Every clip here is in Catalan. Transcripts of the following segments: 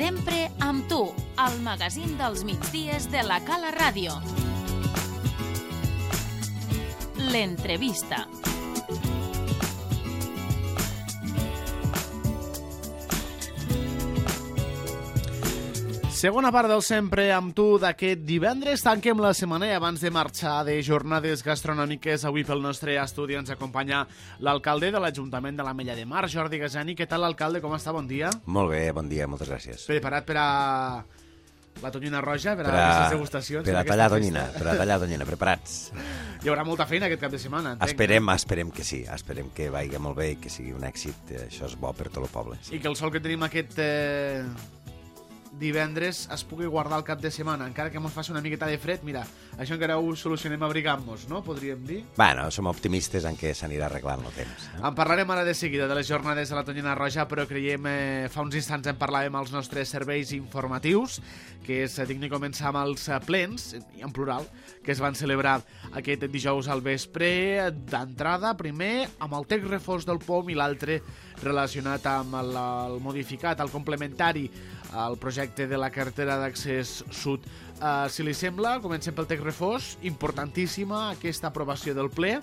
Sempre amb tu, el magazín dels migdies de la Cala Ràdio. L'entrevista. Segona part del Sempre amb tu d'aquest divendres. Tanquem la setmana i abans de marxar de jornades gastronòmiques, avui pel nostre estudi ens acompanya l'alcalde de l'Ajuntament de l'Ametlla de Mar, Jordi Gasani. Què tal, alcalde? Com està? Bon dia. Molt bé, bon dia, moltes gràcies. Preparat per a la tonyina roja, per a aquestes degustacions? Per a tallar tonyina, preparats. Hi haurà molta feina aquest cap de setmana, entenc. Esperem que sí, esperem que vagi molt bé i que sigui un èxit. Això és bo per tot el poble. Sí. I que el sol que tenim aquest divendres es pugui guardar el cap de setmana, encara que ens faci una miqueta de fred. Mira, això encara ho solucionem abrigant-nos, no? Podríem dir. Bueno, som optimistes en què s'anirà arreglant el temps. En parlarem ara de seguida de les jornades de la tonyina roja, però creiem, fa uns instants en parlàvem als nostres serveis informatius, que és digna de començar amb els plens, en plural, que es van celebrar aquest dijous al vespre, d'entrada, primer amb el text refós del POM i l'altre relacionat amb el modificat, el complementari al projecte de la carretera d'accés sud. Si li sembla, comencem pel text refós. Importantíssima aquesta aprovació del ple,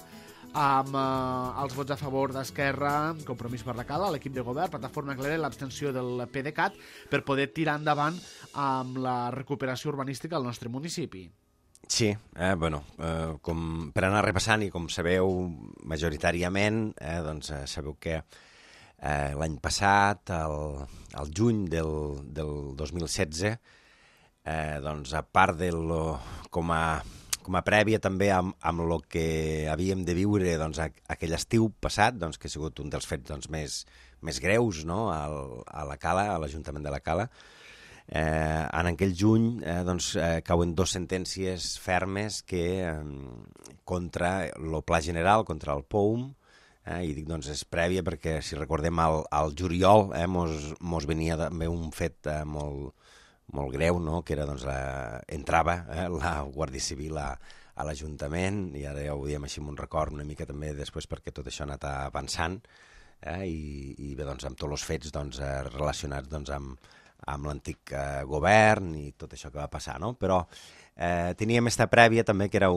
amb els vots a favor d'Esquerra, Compromís per la Cala, l'equip de govern, Plataforma Clara i l'abstenció del PDeCAT, per poder tirar endavant amb la recuperació urbanística al nostre municipi. Sí, com per anar repassant, i com sabeu majoritàriament, sabeu que l'any passat, al juny del 2016, a part de com a prèvia també amb el que havíem de viure aquell estiu passat, que ha sigut un dels fets més greus, no? A la Cala, a l'Ajuntament de la Cala, en aquell juny cauen dues sentències fermes contra el Pla General, contra el POUM, i dic, és prèvia perquè, si recordem, al juliol mos venia també un fet molt greu, no? Que era, entrava la Guàrdia Civil a l'Ajuntament, i ara ja ho diem així amb un record una mica també després perquè tot això ha anat avançant, i bé, amb tots els fets relacionats amb l'antic govern i tot això que va passar, no? Però teníem esta prèvia també, que era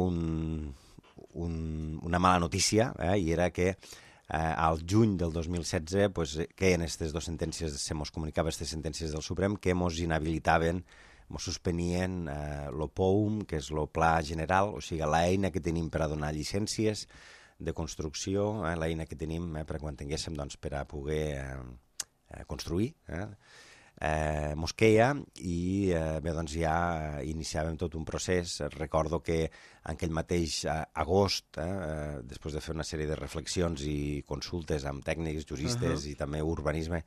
una mala notícia, i era que al juny del 2016 queien aquestes dues sentències, se mos comunicava aquestes sentències del Suprem que mos inhabilitaven, mos suspenien el POUM, que és el Pla General, o sigui, l'eina que tenim per a donar llicències de construcció, l'eina que tenim per quan tinguéssim per a poder construir, mos queia, i bé, ja iniciàvem tot un procés. Recordo que en aquell mateix agost, després de fer una sèrie de reflexions i consultes amb tècnics, juristes i també urbanisme,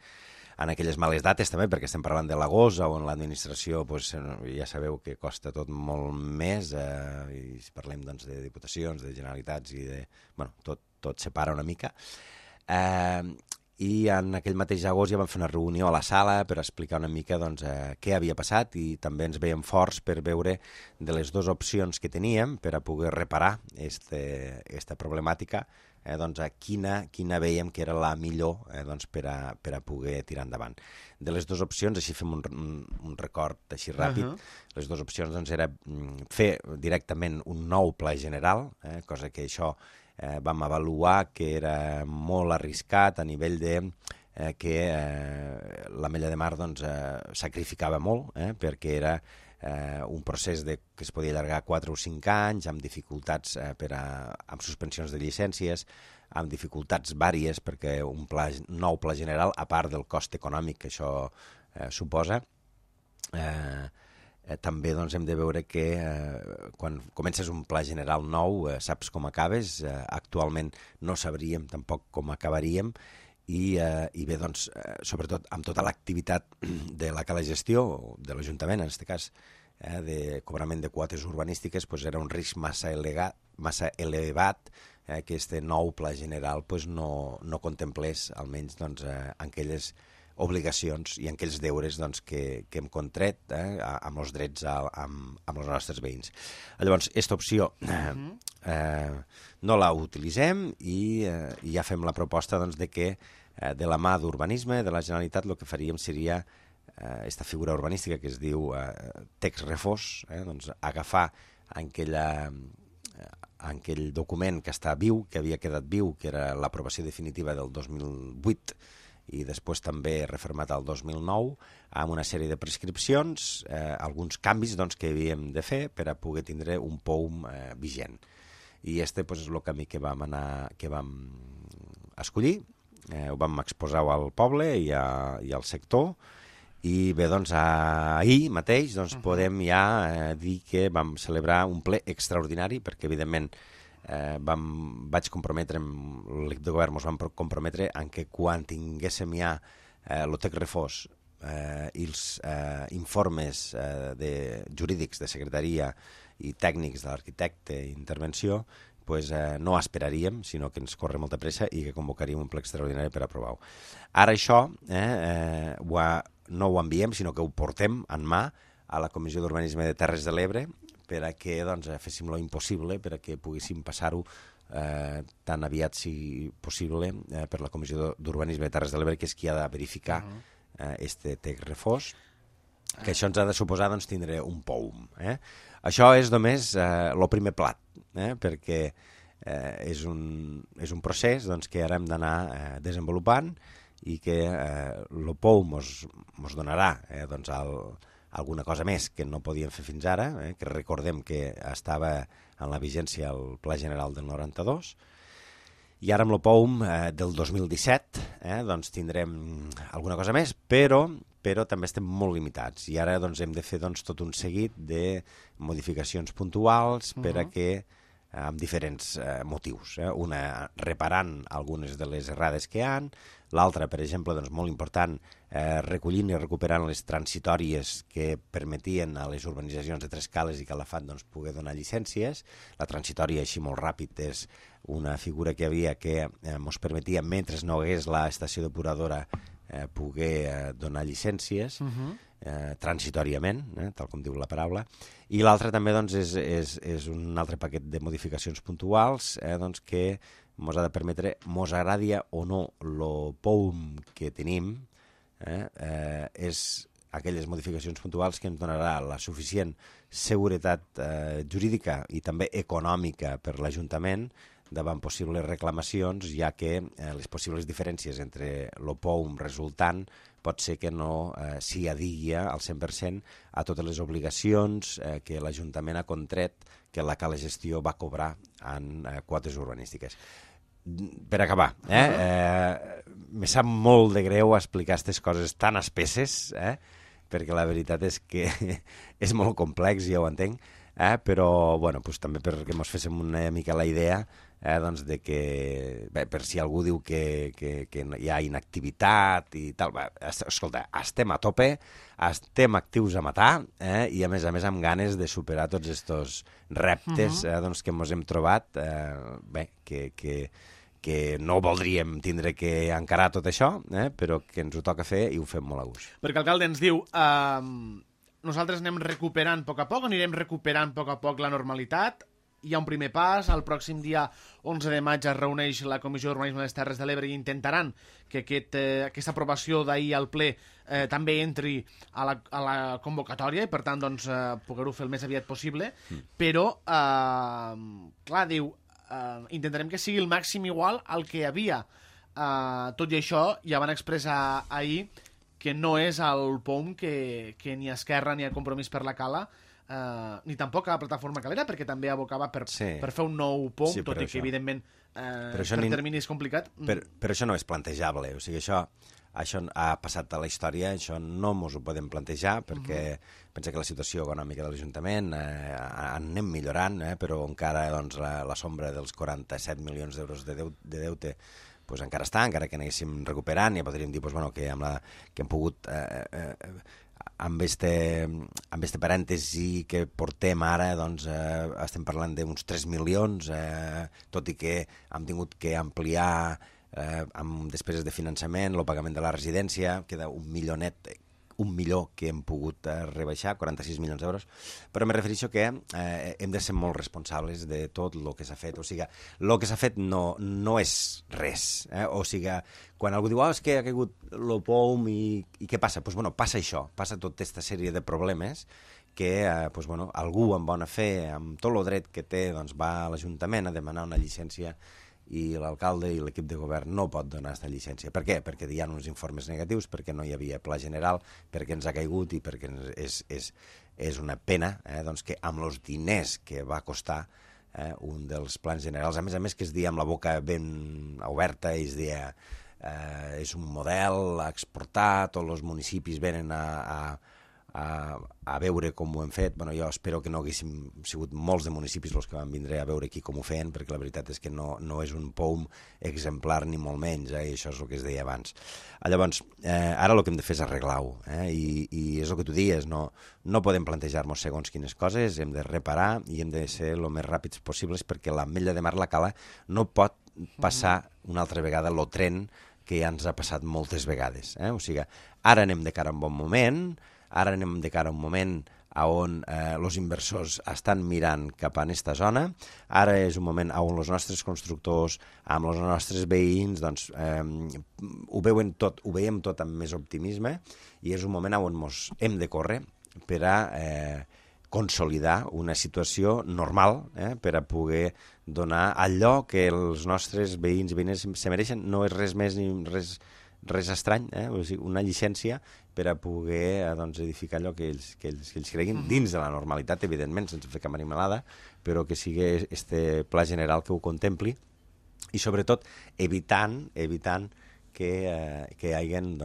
en aquelles males dates també, perquè estem parlant de l'agost, on l'administració, ja sabeu que costa tot molt més, i si parlem de diputacions, de generalitats, i tot separa una mica. I en aquell mateix agost ja vam fer una reunió a la sala per explicar una mica què havia passat, i també ens veiem forts per veure de les dues opcions que teníem per a poder reparar aquesta problemàtica, quina veiem que era la millor per a poder tirar endavant. De les dues opcions, així fem un record així ràpid, les dues opcions era fer directament un nou pla general, cosa que això vam avaluar que era molt arriscat a nivell de que l'Ametlla de Mar sacrificava molt, perquè era un procés que es podia allargar 4 o 5 anys, amb dificultats amb suspensions de llicències, amb dificultats vàries, perquè un nou pla general, a part del cost econòmic que això suposa, també hem de veure que quan comences un pla general nou saps com acabes. Actualment no sabríem tampoc com acabaríem, i bé, sobretot amb tota l'activitat de la Cala Gestió, de l'Ajuntament en aquest cas, de cobrament de quotes urbanístiques, era un risc massa elevat que aquest nou pla general no contemplés almenys aquelles obligacions i en aquells deures que hem contret amb els drets amb els nostres veïns. Llavors, aquesta opció no la utilitzem, i ja fem la proposta de que de la mà d'Urbanisme de la Generalitat el que faríem seria aquesta figura urbanística que es diu text refós, doncs agafar en aquell document que està viu, que havia quedat viu, que era l'aprovació definitiva del 2008 i després també refermat al 2009, amb una sèrie de prescripcions, alguns canvis doncs, que havíem de fer per a poder tindre un POUM vigent. I és el camí que vam escollir, ho vam exposar al poble i al sector, i bé, doncs ahir mateix podem ja dir que vam celebrar un ple extraordinari, perquè evidentment vaig comprometre, l'equip de govern ens vam comprometre en que quan tinguéssim ja el text refós i els informes jurídics de secretaria i tècnics de l'arquitecte i intervenció, no esperaríem, sinó que ens corre molta pressa i que convocaríem un ple extraordinari per aprovar-ho. Ara això no ho enviem, sinó que ho portem en mà a la Comissió d'Urbanisme de Terres de l'Ebre per a que féssim lo impossible per a que poguéssim passar-ho tan aviat si possible per la Comissió d'Urbanisme de Terres de l'Ebre, que és qui ha de verificar este text refós, que això ens ha de suposar tindre un POUM. Això és només el primer plat, perquè és un procés que ara hem d'anar desenvolupant i que el POUM ens donarà alguna cosa més que no podíem fer fins ara, que recordem que estava en la vigència al Pla General del 92, i ara amb el POUM del 2017 tindrem alguna cosa més, però també estem molt limitats, i ara hem de fer tot un seguit de modificacions puntuals per a que, amb diferents motius. Una, reparant algunes de les errades que hi ha, l'altra, per exemple, molt important, recollint i recuperant les transitòries que permetien a les urbanitzacions de Tres Cales i Calafat poder donar llicències. La transitòria, així molt ràpid, és una figura que havia que ens permetia, mentre no hagués l'estació depuradora, poder donar llicències transitòriament, tal com diu la paraula, i l'altre també és un altre paquet de modificacions puntuals que ens ha de permetre, ens agradi o no el POUM que tenim, és aquelles modificacions puntuals que ens donarà la suficient seguretat jurídica i també econòmica per l'Ajuntament davant possibles reclamacions, ja que les possibles diferències entre el POUM resultant pot ser que no s'hi adigui al 100% a totes les obligacions que l'Ajuntament ha contret que la Cala Gestió va cobrar en quotes urbanístiques. Per acabar, me sap molt de greu explicar aquestes coses tan espesses, perquè la veritat és que és molt complex, ja ho entenc, però també perquè ens féssim una mica la idea de que, per si algú diu que hi ha inactivitat i tal, escolta, estem a tope, estem actius a matar i a més amb ganes de superar tots aquests reptes que ens hem trobat, que no voldríem tindre que encarar tot això, però que ens ho toca fer i ho fem molt a gust. Perquè l'alcalde ens diu, nosaltres anem recuperant a poc a poc, anirem recuperant a poc la normalitat, hi ha un primer pas, el pròxim dia 11 de maig es reuneix la Comissió d'Urbanisme de les Terres de l'Ebre i intentaran que aquesta aprovació d'ahir al ple també entri a la convocatòria i per tant poder-ho fer el més aviat possible, però clar, diu, intentarem que sigui el màxim igual al que hi havia. Tot i això, ja van expressar ahir que no és el POUM que ni Esquerra ni a Compromís per la Cala ni tampoc a la plataforma Calera, perquè també abocava per fer un nou POUM, tot i que evidentment per termini és complicat. Però això no és plantejable, o sigui, això ha passat a la història, això no ens ho podem plantejar, perquè pensa que la situació econòmica de l'Ajuntament anem millorant, però encara la sombra dels 47 milions d'euros de deute encara està, encara que anéssim recuperant, ja podríem dir que hem pogut amb este parèntesi que portem ara, estem parlant d'uns 3 milions, tot i que hem tingut que ampliar amb despeses de finançament, el pagament de la residència, queda 1 milionet 1 milió que hem pogut rebaixar, 46 milions d'euros, però me refereixo que hem de ser molt responsables de tot el que s'ha fet. O sigui, el que s'ha fet no és res. O sigui, quan algú diu és que ha caigut el POUM i què passa? Doncs passa això, passa tota aquesta sèrie de problemes que algú amb bona fe, amb tot el dret que té, va a l'Ajuntament a demanar una llicència i l'alcalde i l'equip de govern no pot donar aquesta llicència. Per què? Perquè hi ha uns informes negatius, perquè no hi havia pla general, perquè ens ha caigut i perquè és una pena que amb els diners que va costar un dels plans generals, a més que es dia amb la boca ben oberta i es dia és un model a exportar, tots els municipis venen a veure com ho hem fet. Jo espero que no haguéssim sigut molts de municipis els que van vindre a veure aquí com ho feien, perquè la veritat és que no és un POUM exemplar ni molt menys, i això és el que es deia abans. Llavors, ara el que hem de fer és arreglar-ho, i és el que tu dius, no podem plantejar-nos segons quines coses, hem de reparar i hem de ser el més ràpids possibles, perquè l'Ametlla de Mar la Cala no pot passar una altra vegada el tren que ja ens ha passat moltes vegades. O sigui, ara anem de cara a un bon moment, ara anem de cara a un moment on els inversors estan mirant cap a aquesta zona, ara és un moment on els nostres constructors, amb els nostres veïns, ho veiem tot amb més optimisme, i és un moment on ens hem de córrer per a consolidar una situació normal, per a poder donar allò que els nostres veïns i veïnes se mereixen. No és res més ni res estrany, o sigui, una llicència per a poder edificar allò que ells creguin, dins de la normalitat, evidentment, sense fer cap animalada, però que sigui este pla general que ho contempli, i sobretot evitant que hi hagin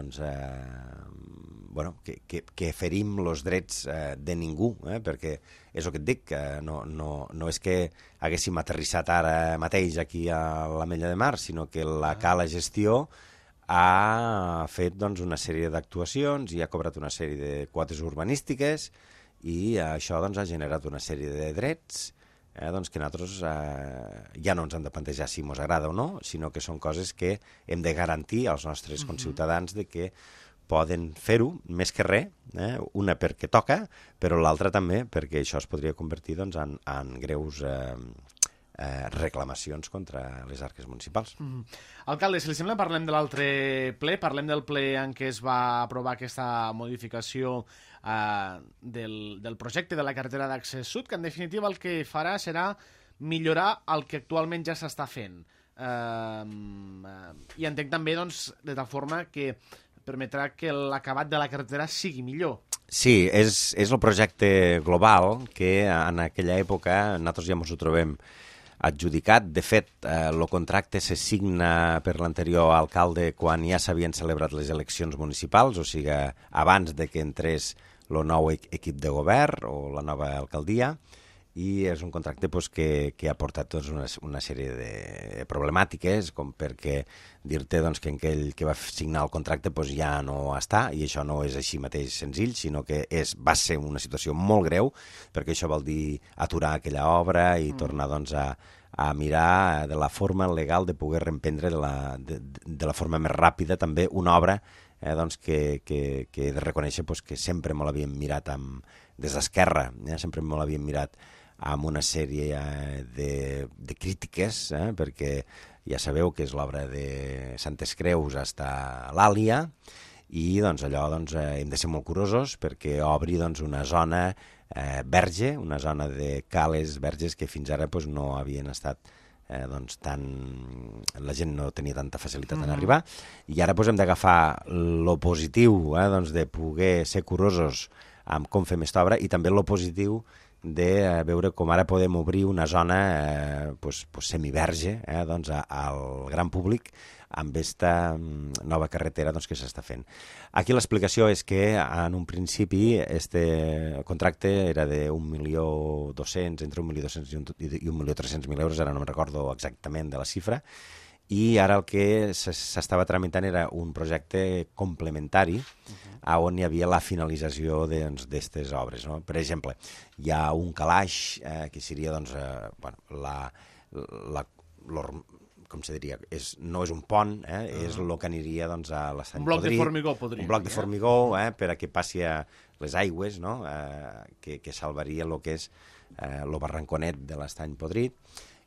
que ferim els drets de ningú, perquè és el que et dic, que no és que haguéssim aterrissat ara mateix aquí a l'Ametlla de Mar, sinó que la Cala Gestió ha fet una sèrie d'actuacions i ha cobrat una sèrie de quotes urbanístiques, i això ha generat una sèrie de drets que nosaltres ja no ens hem de plantejar si ens agrada o no, sinó que són coses que hem de garantir als nostres conciutadans de que poden fer-ho, més que res, una perquè toca, però l'altra també perquè això es podria convertir en greus reclamacions contra les arques municipals. Alcalde, si li sembla, parlem de l'altre ple, parlem del ple en què es va aprovar aquesta modificació del projecte de la carretera d'accés sud, que en definitiva el que farà serà millorar el que actualment ja s'està fent. I entenc també, de tal forma que permetrà que l'acabat de la carretera sigui millor. Sí, és el projecte global que en aquella època nosaltres ja ens ho trobem adjudicat. De fet, el contracte se signa per l'anterior alcalde quan ja s'havien celebrat les eleccions municipals, o sigui, abans de que entrés el nou equip de govern o la nova alcaldia, i és un contracte que ha portat una sèrie de problemàtiques, com perquè dir-te que aquell que va signar el contracte ja no està, i això no és així mateix senzill, sinó que va ser una situació molt greu, perquè això vol dir aturar aquella obra i tornar a mirar de la forma legal de poder reemprendre de la forma més ràpida també una obra que he de reconèixer que sempre me l'havíem mirat des d'Esquerra, sempre me l'havíem mirat amb una sèrie de crítiques, perquè ja sabeu que és l'obra de Santes Creus hasta l'Àlia, i allò hem de ser molt curosos perquè obri una zona verge, una zona de cales verges que fins ara no havien estat la gent no tenia tanta facilitat en arribar, i ara hem d'agafar lo positiu de poder ser curosos amb com fem aquesta obra, i també lo positiu de veure com ara podem obrir una zona semiverge al gran públic amb aquesta nova carretera que s'està fent. Aquí l'explicació és que en un principi este contracte era de 1.200.000, entre 1.200.000 i 1.300.000 euros, ara no me'n recordo exactament de la xifra, i ara el que s'estava tramitant era un projecte complementari on hi havia la finalització d'aquestes obres. Per exemple, hi ha un calaix que seria com se diria, no és un pont, és el que aniria doncs, a l'estany Un bloc podrit. de formigó, podríem Un bloc de dir, formigó, per a que passi a les aigües, no? Que salvaria el que és el barranconet de l'estany podrit.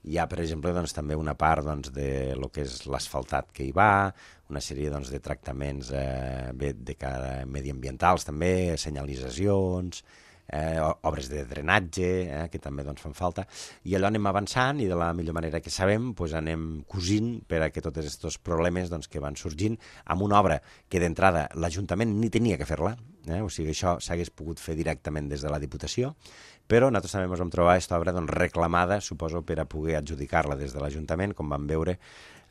Hi ha, per exemple, doncs, també una part doncs, de lo que és l'asfaltat que hi va, una sèrie doncs, de tractaments de cara mediambientals també, senyalitzacions, obres de drenatge, que també doncs, fan falta, i allò anem avançant i de la millor manera que sabem doncs, anem cosint per a que tots aquests problemes doncs, que van sorgint amb una obra que d'entrada l'Ajuntament ni tenia que fer-la, o sigui, això s'hagués pogut fer directament des de la Diputació, però nosaltres també ens vam trobar aquesta obra doncs, reclamada, suposo, per a poder adjudicar-la des de l'Ajuntament, com vam veure,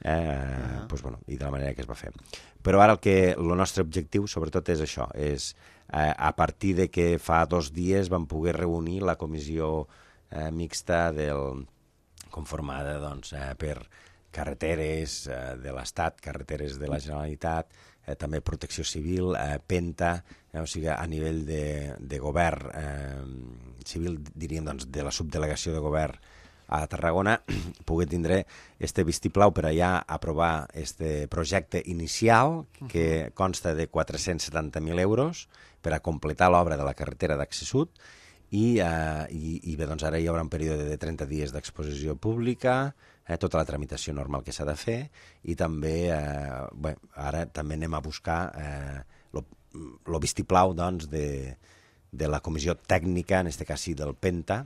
doncs, bueno, i de la manera que es va fer. Però ara el nostre objectiu, sobretot, és això, és a partir de que fa 2 dies vam poder reunir la comissió mixta conformada doncs, per carreteres de l'Estat, carreteres de la Generalitat, també Protecció Civil, Penta, o sigui, a nivell de govern civil, diríem, doncs, de la subdelegació de govern a Tarragona, poder tindre este vistiplau per allà aprovar este projecte inicial que consta de 470.000 euros per a completar l'obra de la carretera d'accés sud i bé, doncs ara hi haurà un període de 30 dies d'exposició pública, tota la tramitació normal que s'ha de fer i també, bé, ara també anem a buscar el vistiplau doncs, de la comissió tècnica, en aquest cas sí del Penta,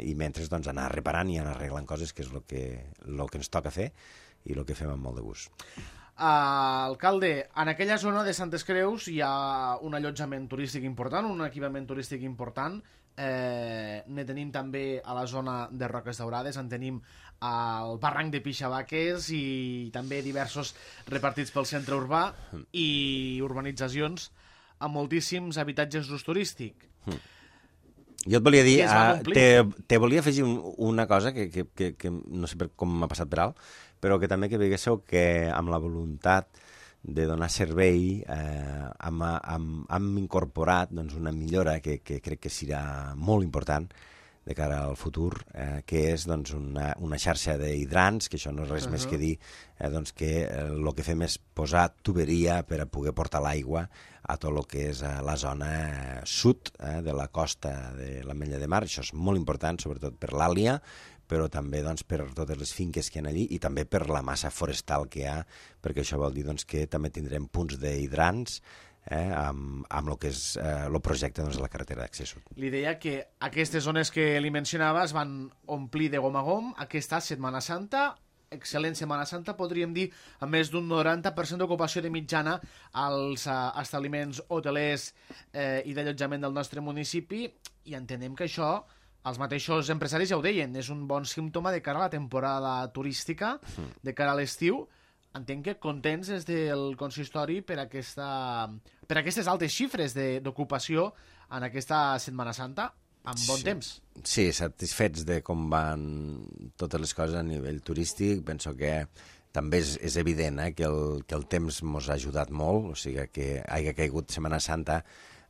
i mentre doncs, anar reparant i anar arreglant coses, que és el que ens toca fer i el que fem amb molt de gust. Alcalde, en aquella zona de Santes Creus hi ha un allotjament turístic important, un equipament turístic important, ne tenim també a la zona de Roques Daurades, en tenim al barranc de Pixabaques i també diversos repartits pel centre urbà i urbanitzacions amb moltíssims habitatges d'ús turístic. Jo et volia dir, te volia afegir una cosa que no sé com m'ha passat per alt, però que també que veiéssiu que amb la voluntat de donar servei hem incorporat doncs, una millora que crec que serà molt important de cara al futur, que és doncs, una xarxa d'hidrants, que això no és res més que dir doncs, que el que fem és posar tuberia per a poder portar l'aigua a tot el que és la zona sud de la costa de l'Ametlla de Mar. Això és molt important, sobretot per l'Àlia, però també doncs, per totes les finques que hi ha allí i també per la massa forestal que hi ha, perquè això vol dir doncs, que també tindrem punts d'hidrants amb el que és el projecte doncs, de la carretera d'accés sud. Li deia que aquestes zones que li mencionava es van omplir de gom a gom aquesta Setmana Santa, excel·lent Setmana Santa, podríem dir, amb més d'un 90% d'ocupació de mitjana als establiments hotelers i d'allotjament del nostre municipi, i entenem que això, els mateixos empresaris ja ho deien, és un bon símptoma de cara a la temporada turística, de cara a l'estiu. Entenc que contents des del consistori per aquestes altes xifres d'ocupació en aquesta Setmana Santa, amb bon temps. Sí, satisfets de com van totes les coses a nivell turístic. Penso que també és evident que el temps ens ha ajudat molt, o sigui que hagi caigut Setmana Santa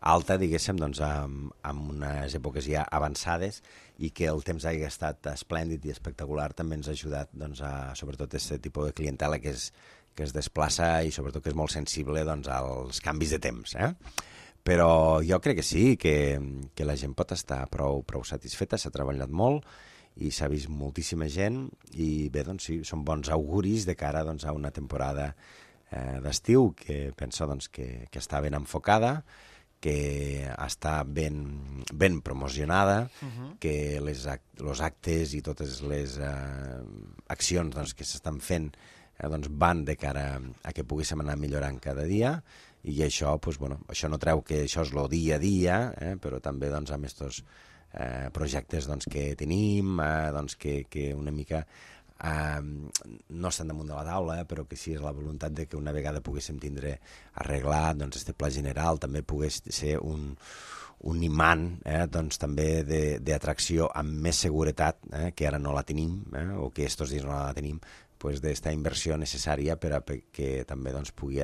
alta, diguéssim, doncs, amb unes èpoques ja avançades i que el temps hagi estat esplèndid i espectacular també ens ha ajudat doncs, sobretot aquest tipus de clientela que es desplaça i sobretot que és molt sensible doncs, als canvis de temps. Però jo crec que sí, que la gent pot estar prou satisfeta, s'ha treballat molt i s'ha vist moltíssima gent i bé, doncs sí, són bons auguris de cara doncs, a una temporada d'estiu que penso doncs, que està ben enfocada, que està ben promocionada, que els actes i totes les accions doncs, que s'estan fent doncs, van de cara a que poguéssim anar millorant cada dia i això, doncs, bueno, això no treu que això és el dia a dia, però també doncs, amb aquests projectes doncs, que tenim, doncs, que una mica no estan damunt de la taula, però que sí és la voluntat de que una vegada poguéssim tindre arreglat doncs, este pla general, també pogués ser un imant doncs, també d'atracció amb més seguretat, que ara no la tenim, o que estos dies no la tenim, pues, d'esta inversió necessària per a que també doncs, pugui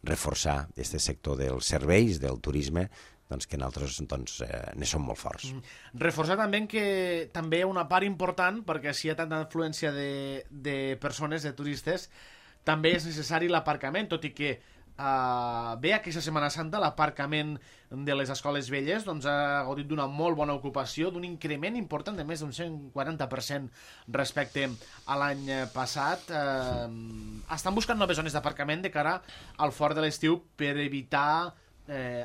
reforçar aquest sector dels serveis, del turisme, doncs, que nosaltres doncs, ne som molt forts. Reforçar també que també una part important, perquè si hi ha tanta influència de persones, de turistes, també és necessari l'aparcament, tot i que bé, aquesta Setmana Santa l'aparcament de les escoles velles doncs, ha gaudit d'una molt bona ocupació, d'un increment important de més d'un 140% respecte a l'any passat. Estan buscant noves zones d'aparcament de cara al fort de l'estiu per evitar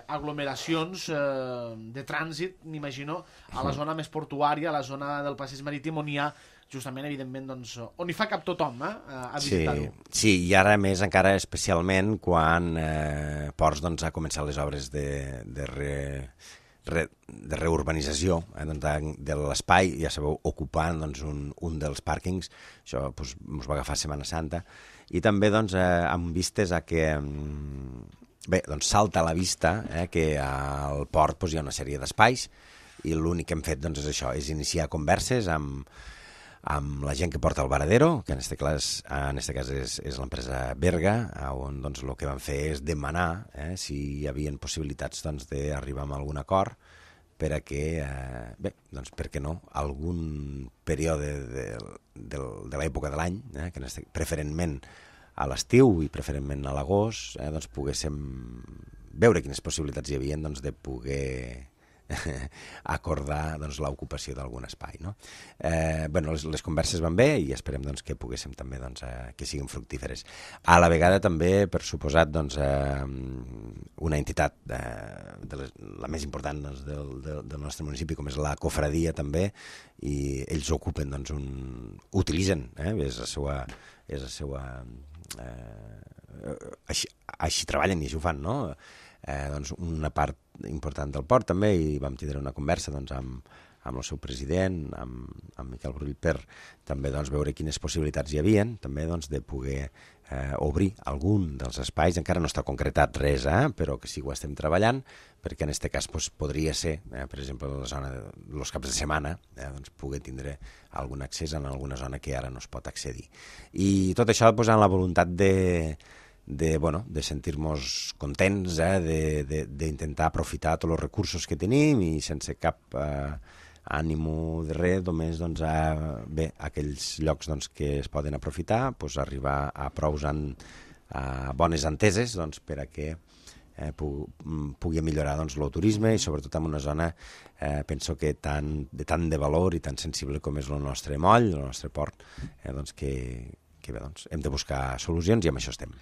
aglomeracions de trànsit, m'imagino, a la zona més portuària, a la zona del passeig marítim, on hi ha justament, evidentment, doncs, on hi fa cap tothom a visitar-ho. Sí, i ara més encara especialment quan Ports doncs, ha començat les obres de reurbanització de l'espai, ja sabeu, ocupant doncs, un dels pàrquings, això doncs, ens va agafar Setmana Santa, i també doncs, amb vistes a que bé, doncs salta a la vista que al port doncs, hi ha una sèrie d'espais, i l'únic que hem fet doncs, és això, és iniciar converses amb la gent que porta el varadero, que en este cas és l'empresa Berga, on doncs, el que van fer és demanar si hi havia possibilitats doncs, d'arribar a algun acord per a que, bé, doncs, per què no, algun període de l'època de l'any, que preferentment a l'estiu i preferentment a l'agost, doncs, poguéssim veure quines possibilitats hi havia doncs, de poder acordar doncs, l'ocupació d'algun espai. No? Bueno, les converses van bé i esperem doncs, que poguéssim també doncs, que siguin fructíferes. A la vegada també, per suposat, doncs, una entitat la més important doncs, del nostre municipi, com és la Cofradia també, i ells ocupen, doncs, utilitzen, és la seva així treballen i així ho fan, no? Doncs una part important del port també, i vam tindre una conversa doncs, amb el seu president, amb Miquel Brull, per també doncs, veure quines possibilitats hi havien també doncs, de poder obrir algun dels espais. Encara no està concretat res, però que sí ho estem treballant, perquè en aquest cas doncs, podria ser, per exemple, la zona dels caps de setmana, doncs, poder tindre algun accés en alguna zona que ara no es pot accedir. I tot això posant la voluntat de sentir-nos contents, d'intentar aprofitar tots els recursos que tenim i sense cap ànimo de res, només doncs, bé, aquells llocs doncs, que es poden aprofitar, doncs, arribar a bones enteses doncs, per a que pugui millorar doncs, el turisme i sobretot en una zona penso que de tant de valor i tan sensible com és el nostre moll, el nostre port, doncs, que bé, doncs, hem de buscar solucions i amb això estem.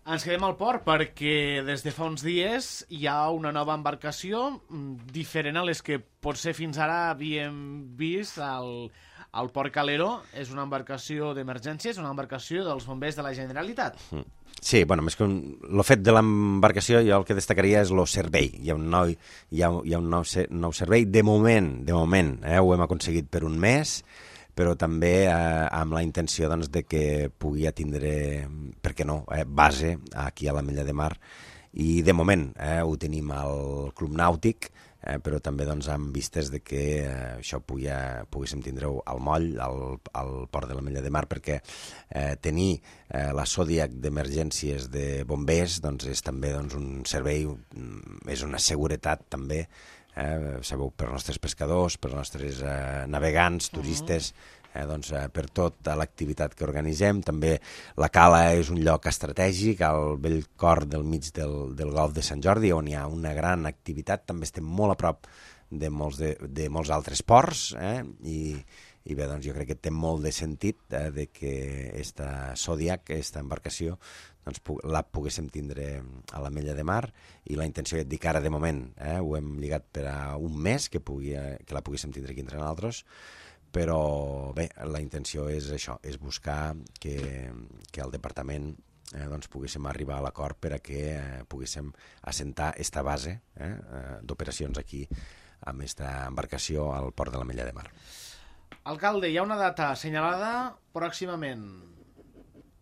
Ens quedem al port perquè des de fa uns dies hi ha una nova embarcació diferent a les que potser fins ara havíem vist al Port Calero. És una embarcació d'emergència, és una embarcació dels bombers de la Generalitat. Sí, bueno, més que el fet de l'embarcació, jo el que destacaria és el servei. Hi ha un nou servei. De moment, ho hem aconseguit per un mes, però també amb la intenció doncs, de que pugui tindre, per què no, base aquí a l'Ametlla de Mar. I de moment ho tenim al Club Nàutic, però també doncs, amb vistes de que això poguéssim tindre-ho al moll, al port de l'Ametlla de Mar, perquè tenir la Zodiac d'emergències de bombers doncs, és també doncs, un servei, és una seguretat també, sabeu, per als nostres pescadors, per als nostres navegants, turistes, doncs, per tota l'activitat que organitzem. També la cala és un lloc estratègic al bell cor del mig del Golf de Sant Jordi, on hi ha una gran activitat. També estem molt a prop de molts altres ports, i bé, doncs jo crec que té molt de sentit de que aquesta Zodiac, aquesta embarcació, doncs, la poguéssim tindre a l'Ametlla de Mar, i la intenció és dir que ara de moment ho hem lligat per a un mes que la poguéssim tindre aquí entre nosaltres, però bé, la intenció és això, és buscar que el departament doncs, poguéssim arribar a l'acord per a que poguéssim assentar aquesta base d'operacions aquí amb aquesta embarcació al port de l'Ametlla de Mar. Alcalde, hi ha una data assenyalada pròximament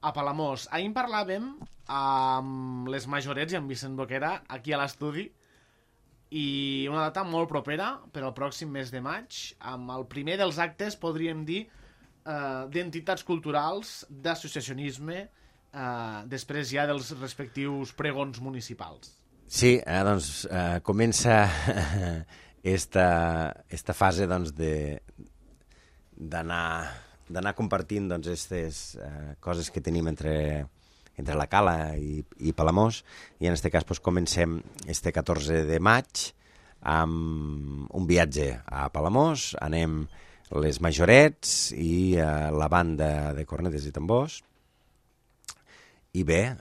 a Palamós. Ahir en parlàvem amb les majorets i amb Vicent Boquera aquí a l'estudi, i una data molt propera per al pròxim mes de maig, amb el primer dels actes, podríem dir, d'entitats culturals, d'associacionisme, després ja dels respectius pregons municipals. Sí, doncs comença esta fase doncs, d'anar compartint doncs, aquestes coses que tenim entre la Cala i Palamós, i en aquest cas doncs, comencem este 14 de maig amb un viatge a Palamós, anem les Majorets i la banda de cornetes i tambors, i bé,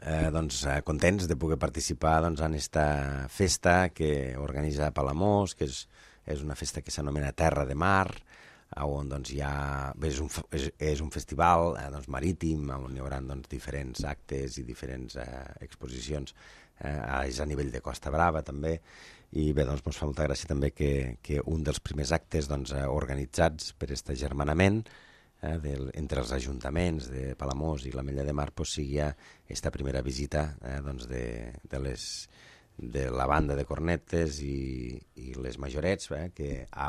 contents de poder participar en aquesta festa que organitza Palamós, que és una festa que s'anomena Terra de Mar, on és un festival marítim, on hi haurà diferents actes i diferents exposicions, és a nivell de Costa Brava també, i bé, ens fa molta gràcia també que un dels primers actes organitzats per aquest agermanament entre els ajuntaments de Palamós i l'Ametlla de Mar sigui aquesta primera visita de la banda de cornetes i les Majorets,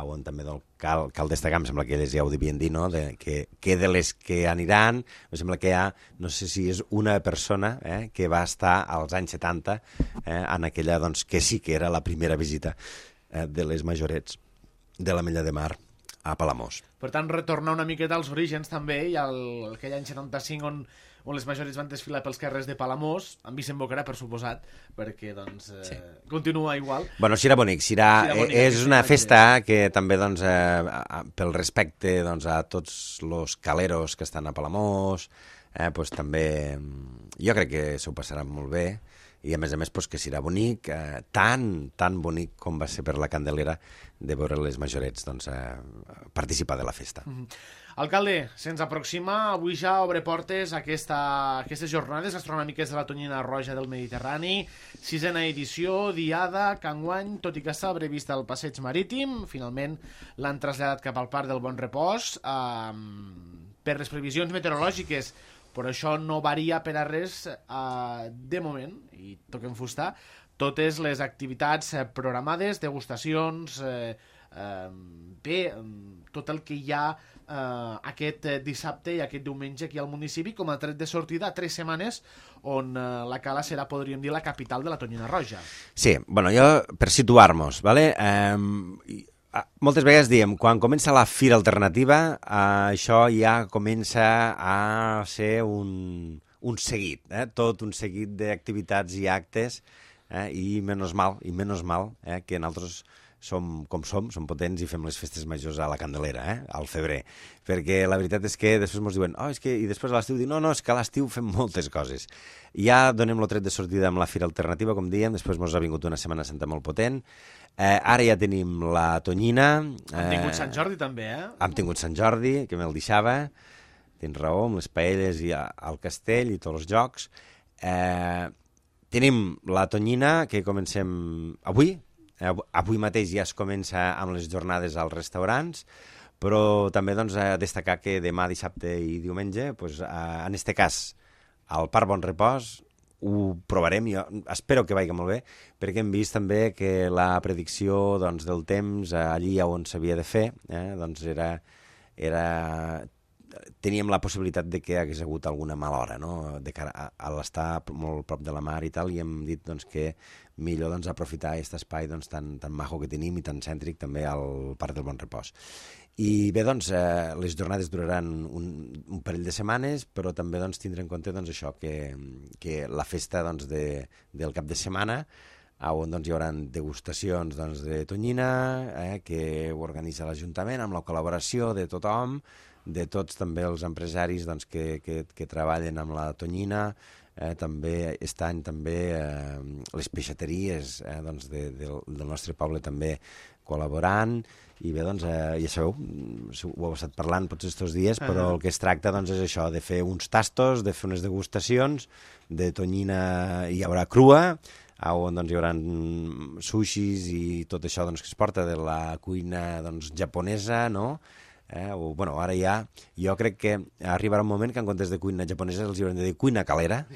on també cal destacar, em sembla que elles ja ho devien dir, no? Que de les que aniran, em sembla que hi ha, no sé si és una persona que va estar als anys 70 en aquella, que sí que era la primera visita de les Majorets de l'Ametlla de Mar a Palamós. Per tant, retornar una miqueta als orígens també, i aquell any 75 on les Majorets van desfilar pels carrers de Palamós, amb Vicent Boquerà, per suposat, perquè sí, continua igual. Bueno, serà bonic, és una festa que també, pel respecte a tots els caleros que estan a Palamós, també jo crec que s'ho passaran molt bé, i a més que serà bonic, tan bonic com va ser per la Candelera de veure les Majorets participar de la festa. Alcalde, se'ns aproxima, avui ja obre portes aquestes jornades gastronòmiques de la Tonyina Roja del Mediterrani, 6a edició, diada, que enguany, tot i que estava prevista al passeig marítim, finalment l'han traslladat cap al Parc del Bon Repòs, per les previsions meteorològiques, però això no varia per a res de moment, i toquem fusta, totes les activitats programades, degustacions, tot el que hi ha aquest dissabte i aquest diumenge aquí al municipi, com a tret de sortida a 3 setmanes on la Cala serà, podríem dir, la capital de la Tonyina Roja. Sí, jo, per situar-nos, moltes vegades diem, quan comença la Fira Alternativa, això ja comença a ser un seguit, tot un seguit d'activitats i actes, i menys mal que nosaltres som com som potents i fem les festes majors a la Candelera, al febrer, perquè la veritat és que després ens diuen, i després a l'estiu diuen, no, és que a l'estiu fem moltes coses. Ja donem el tret de sortida amb la Fira Alternativa, com dèiem, després ens ha vingut una Setmana Santa molt potent, ara ja tenim la Tonyina. Hem tingut Sant Jordi també, Hem tingut Sant Jordi, que me'l deixava, tens raó, amb les paelles i al castell i tots els jocs. Tenim la Tonyina, que comencem avui mateix ja es comença amb les jornades als restaurants, però també destacar que demà, dissabte i diumenge, en aquest cas, al Parc Bon Repòs, ho provarem, jo espero que vagi molt bé, perquè hem vist també que la predicció del temps allí on s'havia de fer, teníem la possibilitat de que hagués hagut alguna mala hora, no? De cara a l'estar molt prop de la mar i tal, i hem dit que millor aprofitar aquest espai tan maco que tenim i tan cèntric també al Parc del Bon Repòs. I bé, les jornades duraran un parell de setmanes, però també tindre en compte això, que la festa del cap de setmana, on hi haurà degustacions de Tonyina, que ho organitza l'Ajuntament amb la col·laboració de tothom, de tots també els empresaris que treballen amb la Tonyina, també aquest any les peixateries del nostre poble també col·laborant, i bé, ja sabeu, ho heu estat parlant potser aquests dies, però el que es tracta és això, de fer uns tastos, de fer unes degustacions, de Tonyina hi haurà crua, on hi haurà sushis i tot això que es porta de la cuina japonesa, no? Ara ja, jo crec que arribarà un moment que en comptes de cuina japonesa els haurem de dir cuina calera,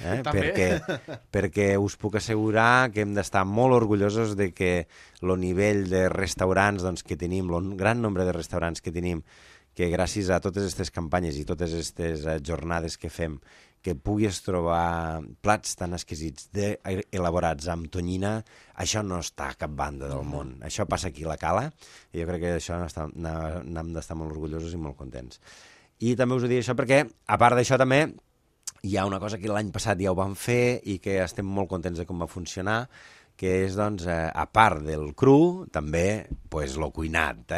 perquè us puc assegurar que hem d'estar molt orgullosos de que el nivell de restaurants que tenim, el gran nombre de restaurants que tenim, que gràcies a totes aquestes campanyes i totes aquestes jornades que fem, que puguis trobar plats tan exquisits elaborats amb tonyina, això no està a cap banda del món. Això passa aquí a la Cala, i jo crec que d'això n'hem d'estar molt orgullosos i molt contents. I també us ho dic això perquè, a part d'això també, hi ha una cosa que l'any passat ja ho vam fer i que estem molt contents de com va funcionar, que és, doncs, a part del cru, també, pues, lo cuinat,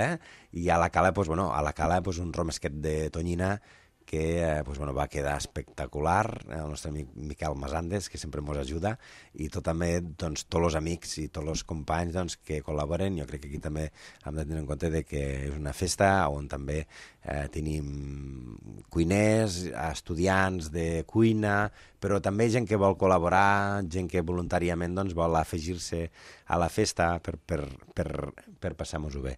I a la Cala, pues, bueno, un romesquet de tonyina que pues, bueno, va quedar espectacular, el nostre amic Miquel Masandes, que sempre ens ajuda, i també doncs, tots els amics i tots els companys doncs, que col·laboren. Jo crec que aquí també hem de tenir en compte que és una festa on també tenim cuiners, estudiants de cuina, però també gent que vol col·laborar, gent que voluntàriament doncs, vol afegir-se a la festa per passar-nos-ho bé.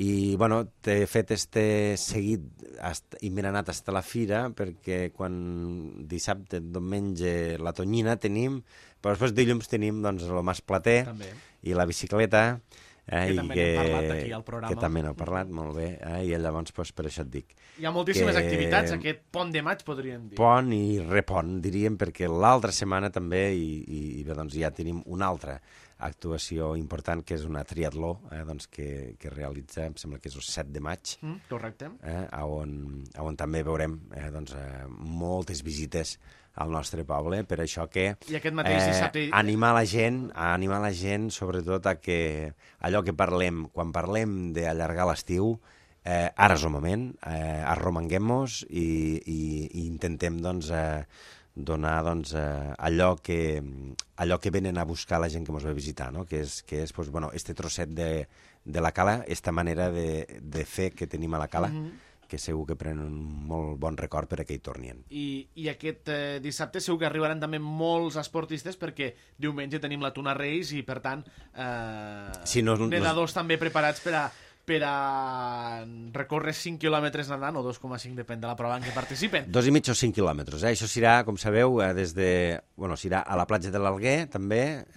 I bueno, t'he fet este seguit i m'he anat fins a la fira perquè quan dissabte, diumenge, la tonyina tenim, però després dilluns tenim doncs, el masplater també. I la bicicleta, que també n'hem parlat aquí al programa. Que també n'hem parlat, molt bé, i llavors doncs, per això et dic. Hi ha moltíssimes activitats, aquest pont de maig, podríem dir. Pont i repont, diríem, perquè l'altra setmana també i bé, doncs, ja tenim una altra actuació important, que és una triatló doncs, que realitza, em sembla que és el 7 de maig. Correcte. On també veurem doncs, moltes visites al nostre poble, per això que i aquest mateix dissabte animar la gent sobretot a que allò que parlem, quan parlem d'allargar l'estiu, ara és el moment, arromanguem-nos i intentem doncs, donar doncs, allò que venen a buscar la gent que ens ve a visitar, no? que és pues, bueno, este trosset de la Cala, esta manera de fer que tenim a la Cala, que segur que prenen un molt bon record per a que hi tornin. I aquest dissabte segur que arribaran també molts esportistes perquè diumenge tenim la Tuna Reis i, per tant, nedadors també preparats per a recórrer 5 quilòmetres nedant, o 2,5, depèn de la prova en què participen. 2,5 o 5 quilòmetres. Això serà, com sabeu, serà a la platja de l'Alguer, també,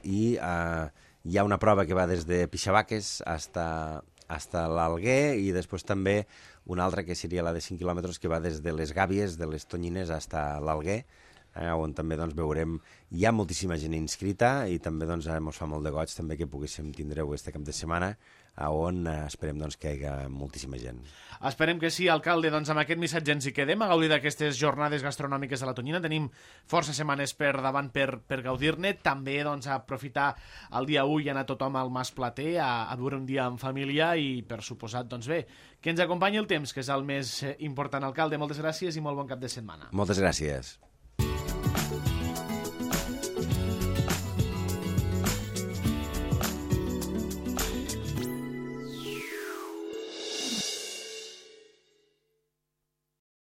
i hi ha una prova que va des de Pixabaques fins a l'Alguer, i després també una altra que seria la de 5 quilòmetres que va des de les Gàbies, de les Tonyines, fins a l'Alguer, on també doncs, veurem, hi ha moltíssima gent inscrita i també doncs, ens fa molt de goig també que poguéssim tindre-ho este cap de setmana, on esperem doncs, que hi hagi moltíssima gent. Esperem que sí, alcalde. Doncs amb aquest missatge ens hi quedem a gaudir d'aquestes jornades gastronòmiques de la Tonyina. Tenim força setmanes per davant per gaudir-ne. També doncs, aprofitar el dia 1 i anar tothom al masplater a viure un dia en família i, per suposat, doncs bé, que ens acompanyi el temps, que és el més important, alcalde. Moltes gràcies i molt bon cap de setmana. Moltes gràcies.